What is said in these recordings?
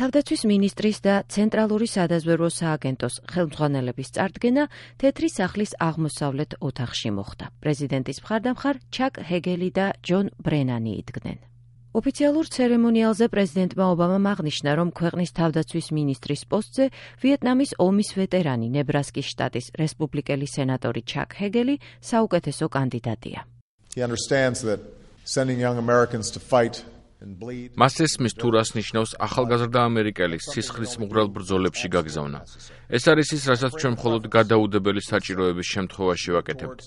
თავდაცვის მინისტრის და ცენტრალური სადაზვერვო სააგენტოს ხელმძღვანელების წარდგენა თეთრი სახლის აღმოსავლეთ ოთახში მოხდა. პრეზიდენტის მხარდამხარ ჩაკ ჰეგელი და ჯონ ბრენანი იდგნენ. ოფიციალურ ცერემონიალზე პრეზიდენტმა ობამამ აღნიშნა, რომ ქვეყნის თავდაცვის მინისტრის პოსტზე ვიეტნამის ომის ვეტერანი ნებრასკის შტატის რესპუბლიკელი სენატორი ჩაკ ჰეგელი საუკეთესო კანდიდატია. მას ესმის თუ რას ნიშნავს ახალგაზრდა ამერიკელის სისხლის მუღრალ ბრძოლებში გაგზავნა. ეს არის ის, რასაც ჩვენ მხოლოდ გადაუდებელი საჭიროების შემთხვევაში ვაკეთებთ.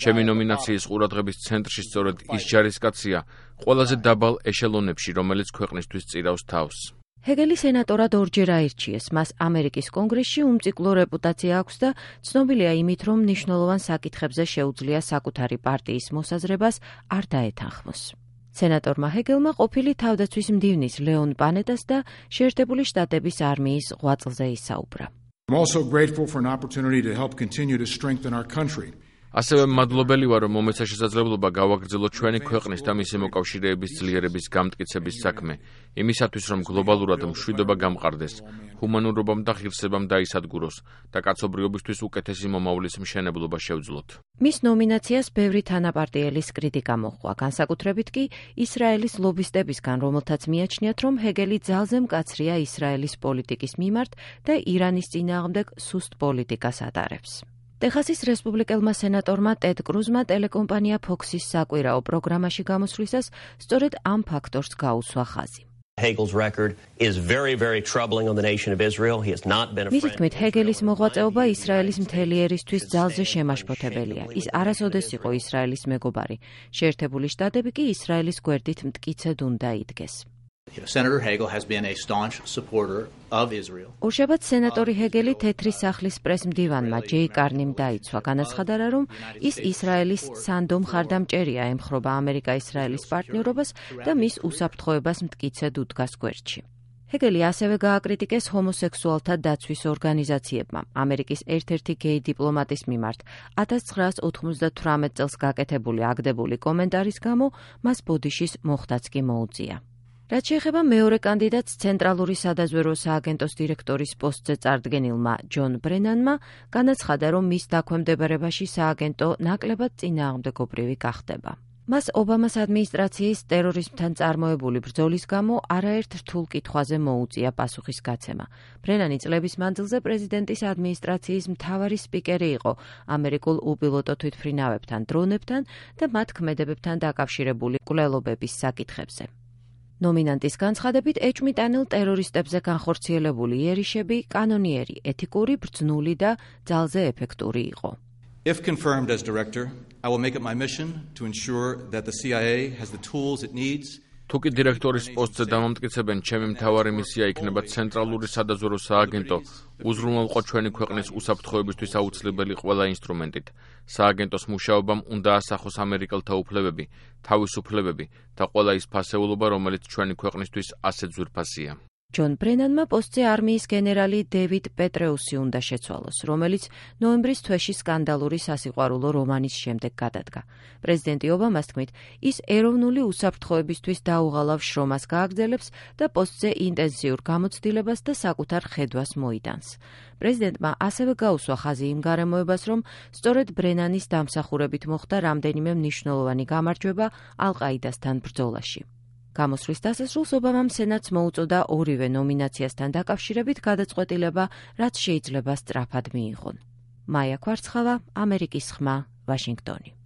ჩემი ნომინაციის ყურადღების ცენტრში სწორედ ის ჯარისკაცია ყველაზე დაბალ ეშელონებში, რომელიც ქვეყნისთვის წირავს თავს. ჰეგელი სენატორად ორჯერ აირჩიეს, მას ამერიკის კონგრესში უმციკლო რეპუტაცია აქვს და ცნობილია იმით, რომ მნიშვნელოვან საკითხებზე შეუძლია საკუთარი პარტიის მოსაზრებას არ დაეთანხმოს. სენატორმა ჰეგელმა ყოფილი თავდაცვის მდივნის ლეონ პანეტას და შეერთებული შტატების არმიის ღვაწლზე ისაუბრა. ასევე მადლობელი ვარ, რომ მომეცა შესაძლებლობა გავაგრძელოთ ჩვენი ქვეყნის და მისი მოკავშირეების ძლიერების გამტკიცების საქმე, იმისათვის, რომ გლობალურად მშვიდობა გამყარდეს, ჰუმანურობამ და ღირსებამ დაისადგუროს და კაცობრიობისთვის უკეთესი მომავლის მშენებლობა შევძლოთ. მის ნომინაციას ბევრი თანაპარტიელის კრიტიკა მოჰყვა, განსაკუთრებით კი ისრაელის ლობისტებისგან, რომელთაც მიაჩნიათ, რომ ჰეგელი ძალზე მკაცრია ისრაელის პოლიტიკის მიმართ და ირანის წინააღმდეგ სუსტ პოლიტიკას ატარებს. ტეხასის რესპუბლიკელმა სენატორმა ტედ კრუზმა ტელეკომპანია Fox-ის საკვირაო პროგრამაში გამოსვლისას სწორედ ამ ფაქტორს გაუსვა ხაზი. მისი თქმით, ჰეგელის მოღვაწეობა ისრაელის მთელი ერისთვის ძალზე შემაშფოთებელია. ის არასოდეს იყო ისრაელის მეგობარი. შეერთებული შტატები კი ისრაელის გვერდით მტკიცედ უნდა იდგეს. ორშაბათს სენატორი ჰეგელი თეთრი სახლის პრესმდივანმა ჯეი კარნიმ დაიცვა, განაცხადა, რომ ის ისრაელის სანდო მხარდამჭერია, ემხრობა ამერიკა-ისრაელის პარტნიორობას და მის უსაფრთხოებას მტკიცედ უდგას გვერდში. ჰეგელი ასევე გააკრიტიკეს ჰომოსექსუალთა დაცვის ორგანიზაციებმა. ამერიკის ერთ-ერთი გეი დიპლომატის მიმართ 1998 წელს გაკეთებული აგდებული კომენტარის გამო მას ბოდიშის მოხდაც კი მოუწია. რაც შეეხება მეორე კანდიდატს ცენტრალური სადაზვერვო სააგენტოს დირექტორის პოსტზე წარდგენილმა ჯონ ბრენანმა, განაცხადა, რომ მის დაქვემდებარებაში სააგენტო ნაკლებად წინააღმდეგობრივი გახდება. მას ობამას ადმინისტრაციის ტერორიზმთან წარმოებული ბრძოლის გამო არაერთ რთულ კითხვაზე მოუწია პასუხის გაცემა. ბრენანი წლების მანძილზე პრეზიდენტის ადმინისტრაციის მთავარი სპიკერი იყო ამერიკულ უპილოტო თვითმფრინავებთან, დრონებთან და მათ ქმედებებთან დაკავშირებული მკვლელობების საკითხებზე. ნომინანტის განცხადებით, ეჭვმიტანილ ტერორისტებზე განხორციელებული იერიშები კანონიერი, ეთიკური, ბრძნული და ძალზე ეფექტური იყო. If confirmed as director, I will make it my mission to ensure that the CIA has the tools it needs. თუკი დირექტორის პოსტზე დამამტკიცებენ, ჩემი მთავარი მისია იქნება ცენტრალური სადაზვერვო სააგენტო უზრუნველყო ჩვენი ქვეყნის უსაფრთხოებისთვის აუცილებელი ყველა ინსტრუმენტით. სააგენტოს მუშაობამ უნდა ასახოს ამერიკელთა უფლებები, თავისუფლებები და ყველა ის ფასეულობა, რომელიც ჩვენი ქვეყნისთვის ასეთ ძვირფასია. ჯონ ბრენანმა პოსტზე არმიის გენერალი დევიდ პეტრეუსი უნდა შეცვალოს, რომელიც ნოემბრის თვეში სკანდალური სასიყვარულო რომანის შემდეგ გადადგა. პრეზიდენტი ობამას თქმით, ის ეროვნული უსაფრთხოებისთვის დაუღალავ შრომას გააგრძელებს და პოსტზე ინტენსიურ გამოცდილებას და საკუთარ ხედვას მოიტანს. პრეზიდენტმა ასევე გაუსვა ხაზი იმ გარემოებას, რომ სწორედ ბრენანის დამსახურებით მოხდა რამდენიმე მნიშვნელოვანი გამარჯვება ალ-ყაიდასთან ბრძოლაში. გამოსვლის დასასრულს ობამამ სენატს მოუწოდა ორივე ნომინაციასთან დაკავშირებით გადაწყვეტილება, რაც შეიძლება სწრაფად მიიღონ. მაია ქვარცხავა, ამერიკის ხმა, ვაშინგტონი.